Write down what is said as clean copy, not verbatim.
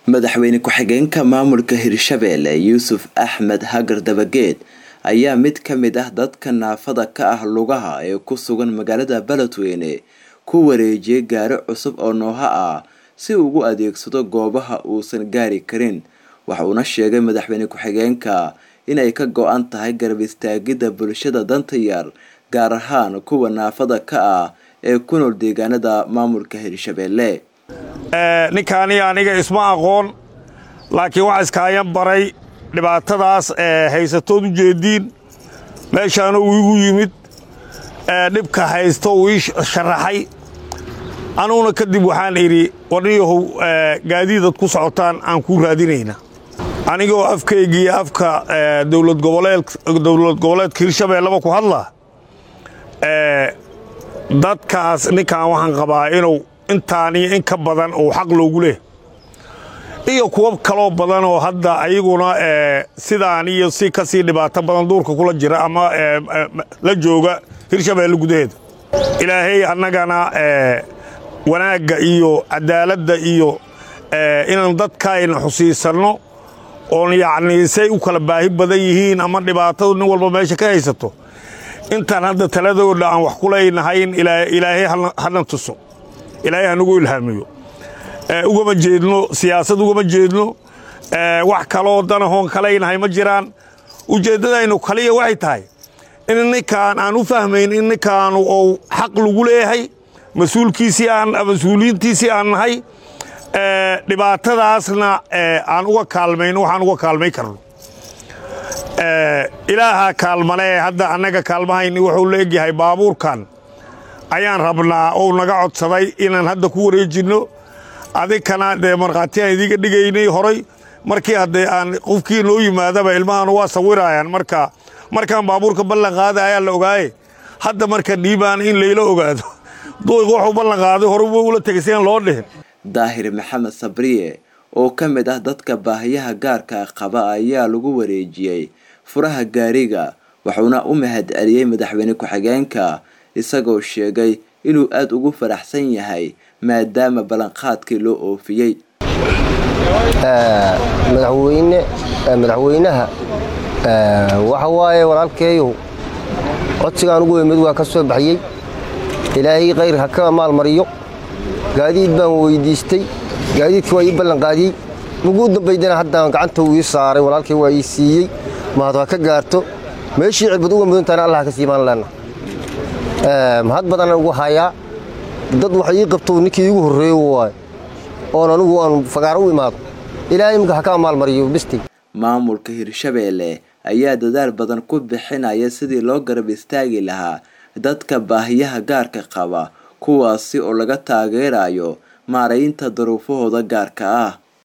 Madaxweyne ku-xigeenka maamulka Hirshabelle Yuusuf Axmed Hagar Dabageed ayaa mid ka mid ah dadka naafada ka ah lugaha ee ku sugan magaalada Beledweyne ku wareejiyay gaari cusub oo Noha ah si uu ugu adeegsado goobaha uusan gaari karin. Waxa uuna sheegay madaxweyne ku-xigeenka inay ka go'an tahay garab istaagidda bulshada danta yar, gaar ahaan kuwa naafada ka ah ee ku nool deegaanada maamulka Hirshabelle. Ninkaani aniga isma aqoon, laakiin waxaa iskaayan baray dhibaatadaas haysatood u jeediin. Meeshaana uu igu yimid, dhibka haysto uu ii sharaxay. Anuguna kadib waxaan idhi, warniyahow, gaadiidad ku socotaan aan kuu raadinayna. Anigoo afkaygiiyo afka dowlad goboleedka Hirshabeelleba ku hadla, dadkaas ninkaan waxaan qabaa inuu intaan iyo in ka badan uu xaq loogu leh, iyo kuwo kaloo badan oo hadda ayaguna sidaan iyo si ka sii dhibaato badan duurka kula jira ama la jooga Hirshabeelle gudaheeda. Ilaahay annagana wanaagga iyo cadaaladda iyo inaan dadkaayna xusiisanno oon yacnii say u kala baahi badan yihiin ama dhibaatadu nin walba meesha ka haysato, intaan hadda taladooda aan wax ku leynahayn, Ilaahay hana tuso, Ilaahay hanagu ilhaamiyo. Ugama jeedno siyaasad, ugama jeedno wax kaloo danahoon kalaynahay ma jiraan. Ujeeddadaynu kaliya waxay tahay in ninkaan aan u fahmayn in ninkaanu ou xaq lagu leeyahay, mas-uulkiisii aan mas-uuliyiintiisii aan nahay, dhibaatadaasna aan uga kaalmayno waxaan uga kaalmay karno. Ilaahaa kaalmale, hadda annaga kaalmahayni wuxuu la egyahay baabuurkan ayaan rabnaa ou naga codsaday inaan hadda ku wareejinno. Adinkana dee markhaatiyaan idiga dhigaynay horay, markii haddee aan qofkii noo yimaadaba ilmahaanu waa sawiraayaan. Marka markaan baabuurka ballan qaada ayaa la ogaaye, hadda marka dhiibaan in layla ogaado duiq wuxuu ballan qaaday hore ula tegay si aan loo dhihin. Daahir Maxamed Sabriye oo ka mid ah dadka baahiyaha gaarka qaba ayaa lagu wareejiyey furaha gaariga, wuxuuna u mahad celiyey madaxweyne ku-xigeenka, isagoo sheegay inuu aada ugu faraxsan yahay maadaama ballanqaadkii loo oofiyey. Madaxweyne, madaxweynaha waxa waaye walaalkeeyow, codsigaan ugu imid waa ka soo baxiyey. Ilaahay khayr ha ka maalmariyo. Gaadiid baan weydiistay, gaadiidkii waa ii ballanqaadiyey. Muguu dambaydana haddaan gacanta uu ii saaray walaalkay, waa ii siiyey. Mahad ha ka gaarto, meeshii cirbad uga mudantaana Allah ka siimaan leenna. Mahad badanaan ugu hayaa. Dad wax ii qabto ninkii iigu horreeyo waayo oon anigu aan fagaaro u imaado. Ilaahay imika ha ka maalmariyo bistay. Maamulka Hirshabelle ayaa dadaal badan ku bixinaya sidii loo garab istaagi lahaa dadka baahiyaha gaarka qaba, kuwaasi oo laga taageerayo maaraynta duruufahooda gaarka ah.